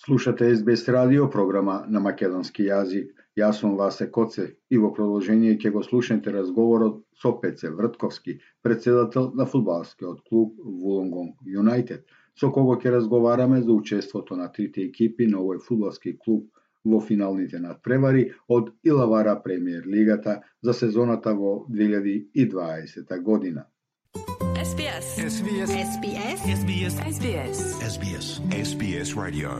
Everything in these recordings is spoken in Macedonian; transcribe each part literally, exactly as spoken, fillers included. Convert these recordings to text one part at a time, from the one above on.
Слушате Ес Би Ес радио, програма на македонски јазик. Јас сум Васе Коцев и во продолжение ќе го слушнете разговорот со Пеце Вртковски, председател на фудбалскиот клуб Вулонгонг Юнајтед, со кого ќе разговараме за учеството на трите екипи на овој фудбалски клуб во финалните надпревари од Илавара премиер лигата за сезоната во две илјади и дваесета година. Ес Би Ес. Ес Би Ес. Ес Би Ес. Ес Би Ес. Ес Би Ес. Ес Би Ес. Ес Би Ес радио.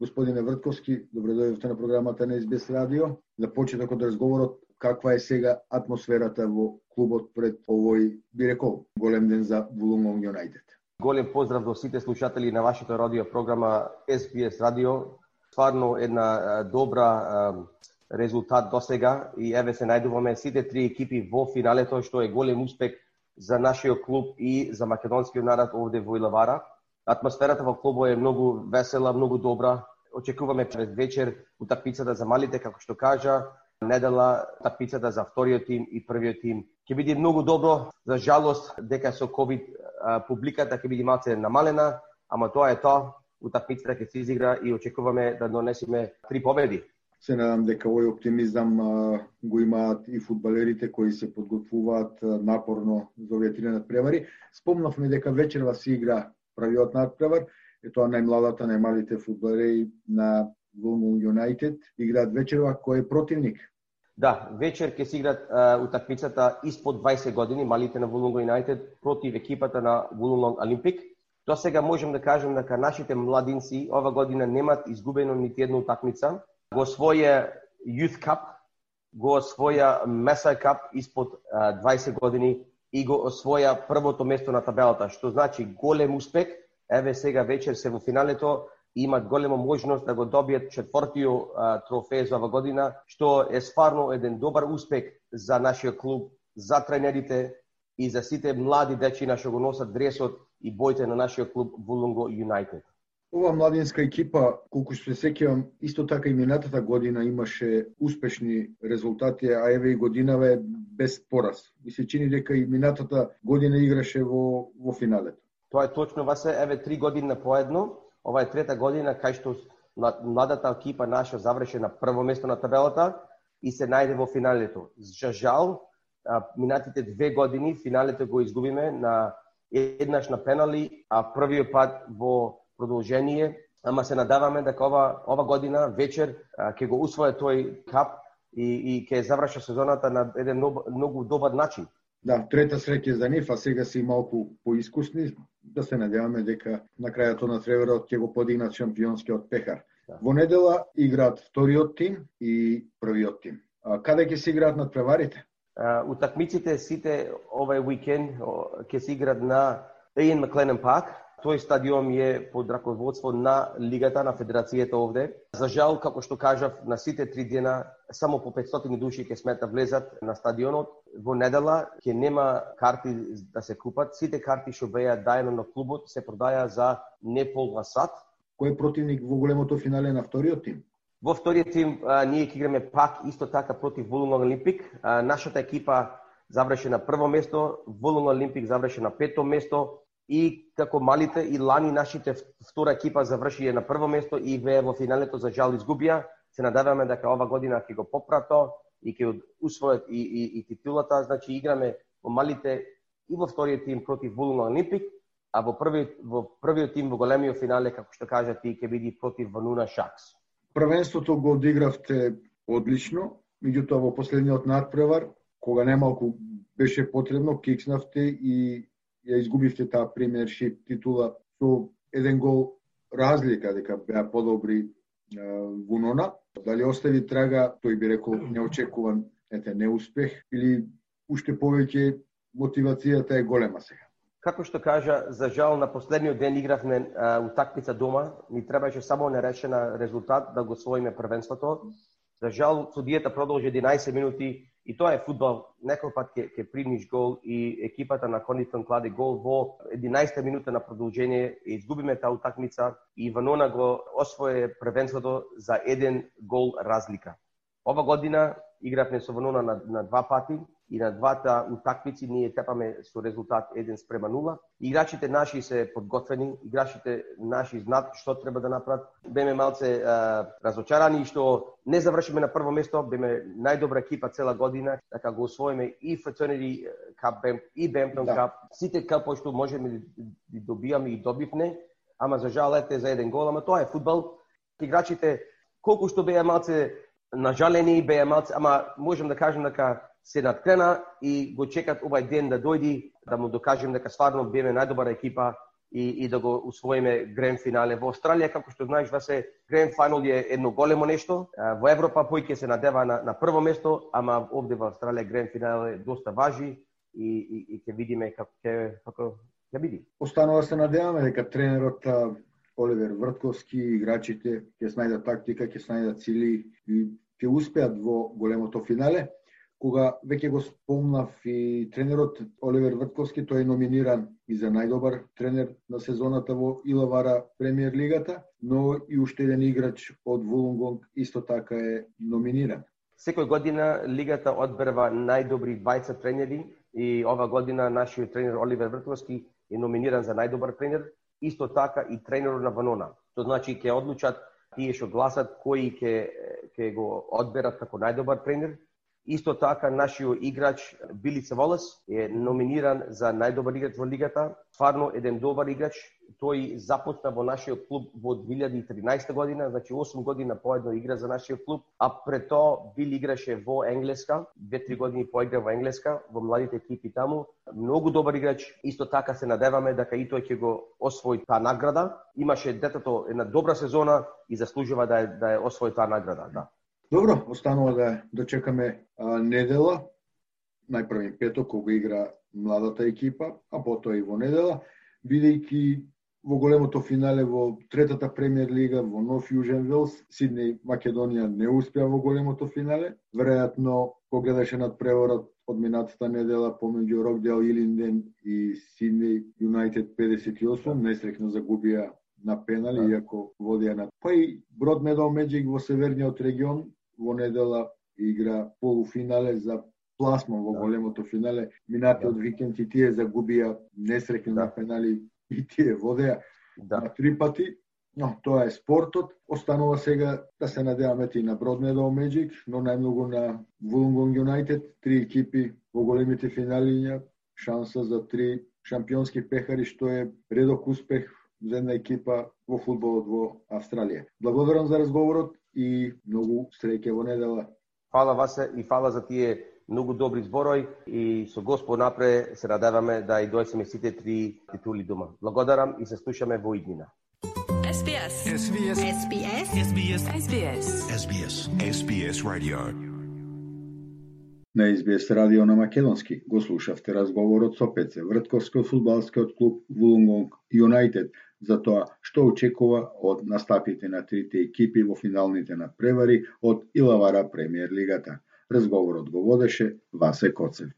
Господине Вртковски, добре дојдовте на програмата на Ес Би Ес радио. За почеток од разговорот, каква е сега атмосферата во клубот пред овој, би рекол, голем ден за Вулонгонг Юнајтед? Голем поздрав до сите слушатели на вашата радио програма Ес Би Ес радио. Стварно една добра резултат до сега и еве се најдуваме сите три екипи во финалето, што е голем успех за нашиот клуб и за македонскиот народ овде во Илавара. Атмосферата во клубот е многу весела, многу добра. Очекуваме пред вечер утакмицата за малите, како што кажа, недела утакмицата за вториот тим и првиот тим. Ќе биде многу добро, за жалост дека со ковид публиката ќе биде малце намалена, ама тоа е тоа. Утакмицата ќе се изигра и очекуваме да донесеме три победи. Се надам дека овој оптимизам а, го имаат и фудбалерите кои се подготвуваат а, напорно за овие три надпревари. Спомнавме дека вечерва се игра првиот надпревар, е тоа најмладата, најмалите фудбалери на Вулонгонг Юнајтед играат вечерва. Кој е противник? Да, вечер ќе се играат утакмицата испод дваесет години, малите на Вулонгонг Юнајтед против екипата на Вулонгонг Олимпик. До сега можем да кажем дека нашите младинци ова година немаат изгубено нити една утакмица. Го освоја Youth Cup, го освоја Mesa Cup испод дваесет години и го освоја првото место на табелата, што значи голем успех. Еве сега вечер се во финалето и имат голема можност да го добијат четвртиот трофеј за ова година, што е стварно еден добар успех за нашиот клуб, за тренерите и за сите млади дечиња што го носат дресот и боите на нашиот клуб Вулонгонг Юнајтед. Ова младинска екипа, колку што се сеќавам, исто така и минатата година имаше успешни резултати, а еве и годинава е без пораз. И се чини дека и минатата година играше во во финалето. Тоа е точно, Васе, еве три години поедно. Ова е трета година кај што младата екипа наша заврши на прво место на табелата и се најде во финалето. За жал, минатите две години финалето го изгубиме на еднаш на пенали, а првиот пат во продолжение, ама се надаваме дека ова ова година вечер ќе го усвои тој кап и и ќе заврши сезоната на еден многу, многу добар начин. Да, трета среќа за нив, а сега се и малку поискусни, да се надеваме дека на крајот на надпреварот ќе го подигнат шампионскиот пехар. Да. Во недела играат вториот тим и првиот тим. А каде ќе се играат надпреварите? Утакмиците сите овој уикенд ќе се играат на Иан Макленан парк. Тој стадион е под раководство на Лигата, на Федерацијата овде. За жал, како што кажав, на сите три дена само по петстотини души ќе смета влезат на стадионот. Во недела ќе нема карти да се купат. Сите карти што беа дајано на клубот се продаја за не полва сат. Кој е противник во големото финале на вториот тим? Во вториот тим а, ние ќе играме пак исто така против Вулонгонг Олимпик. А, нашата екипа заврши на прво место, Вулонгонг Олимпик заврши на пето место. И како малите и лани нашите втора екипа завршија на прво место и ве во финалето за жал изгубија. Се надеваме дека ова година ќе го попрато и ќе усвојат и, и, и титулата. Значи играме во малите и во вториот тим против Вулонгонг Олимпик, а во првиот во првиот тим во големиот финале, како што кажа ти, ќе биде против Вануна Шакс. Првенството го одигравте одлично, меѓутоа во последниот надпревар, кога немалку беше потребно, кикснавте и ја изгубивте таа премиершип титула со еден гол разлика, дека беа подобри Вунона. Дали остави трага, тој би рекол неочекуван, ете, неуспех, или уште повеќе мотивацијата е голема сега? Како што кажа, за жал на последниот ден игравме утакмица дома, ни требаше само нерешена резултат да го освоиме првенството. За жал, судијата продолжи единаесет минути и тоа е фудбал. Некој пат ќе ќе примиш гол и екипата на Конитон кладе гол во единаесета минута на продолжение и изгубиме таа утакмица и Ванона го освои првенството за еден гол разлика. Ова година игравме со Ванона на, на два пати и на двата утакмици ние тепаме со резултат еден спрема нула. Играчите наши се подготвени, играчите наши знаат што треба да направат. Беме малце а, разочарани што не завршиме на прво место, беме најдобра екипа цела година, така го освоиме и Fraternity Cup и Bampton да. Cup. Сите капои што можеме да добиаме и добивме, ама за жал ете за еден гол, ама тоа е фудбал. Играчите колку што беа малце нажалени, беа малце, ама можам да кажам дека се надкрена и го чекат овај ден да дојди, да му докажем дека стварно беме најдобра екипа и, и да го усвоиме гранд финале. Во Австралија, како што знаеш, Васе, гранд финал е едно големо нешто. Во Европа појќе се надева на, на прво место, ама овде во Австралија гранд финал е доста важи и, и, и ќе видиме како ќе како ќе биде. Останува се надеваме дека тренерот Оливер Вртковски, играчите ќе снајдат тактика, ќе снајдат цели и ќе успеат во големото финале. Кога веќе го спомнав и тренерот Оливер Вртковски, тој е номиниран и за најдобар тренер на сезоната во Илавара премиер лигата, но и уште еден играч од Вулонгонг исто така е номиниран. Секој година лигата одберва најдобри двајца тренери и ова година нашиот тренер Оливер Вртковски е номиниран за најдобар тренер, исто така и тренерот на Ванона. Тоа значи ќе одлучат тие што гласат кои ќе ќе го одберат како најдобар тренер. Исто така, нашиот играч Билица Волес е номиниран за најдобар играч во лигата. Стварно еден добар играч. Тој започна во нашиот клуб во две илјади и тринаесета година, значи осум година поедно игра за нашиот клуб, а пред тоа Бил играше во Енглеска, две-три години поигра во Енглеска, во младите екипи таму. Многу добар играч. Исто така се надеваме дека и тој ќе го освои таа награда. Имаше детето една добра сезона и заслужува да е, да е освои таа награда, да. Добро, останува да дочекаме а, недела, најпрви петок кога игра младата екипа, а потоа и во недела, бидејќи во големото финале во третата премиер лига во Нов Јужен Велс, Сиднеј Македонија не успеа во големото финале. Веројатно, кога гледаше над преворот од минатата недела помеѓу Рокдейл Илинден и Сиднеј Юнайтед педесет и осум, несреќно загубија на пенали, да. Иако водија на... Па и Брод Медоу Меджик во северниот регион во недела игра полуфинале за пласман во да. Големото финале. Минатиот да. Викенд и тие загубија несреќно да. На пенали и тие водеа да. На три пати. Но тоа е спортот. Останува сега да се надеваме и на Брод Медоу Меджик, но најмногу на Вулонгонг Юнайтед. Три екипи во големите финали, шанса за три шампионски пехари, што е редок успех за една екипа во фудбалот во Австралија. Благодарам за разговорот и многу среќа во недела. Фала Васе и фала за тие многу добри зборои и со Господ напре се надеваме да и дојдеме сите три титули дома. Благодарам и се слушаме во иднина. Ес Би Ес. Ес Би Ес. Ес Би Ес. Ес Би Ес. Ес Би Ес. Ес Би Ес. Ес Би Ес радио. На Ес Би Ес радио на македонски го слушавте разговорот со Пеце Вртковски од фудбалскиот клуб Вулонгонг Юнайтед за тоа што очекува од настапите на трите екипи во финалните надпревари од Илавара премиер лигата. Разговорот го водеше Васе Коцев.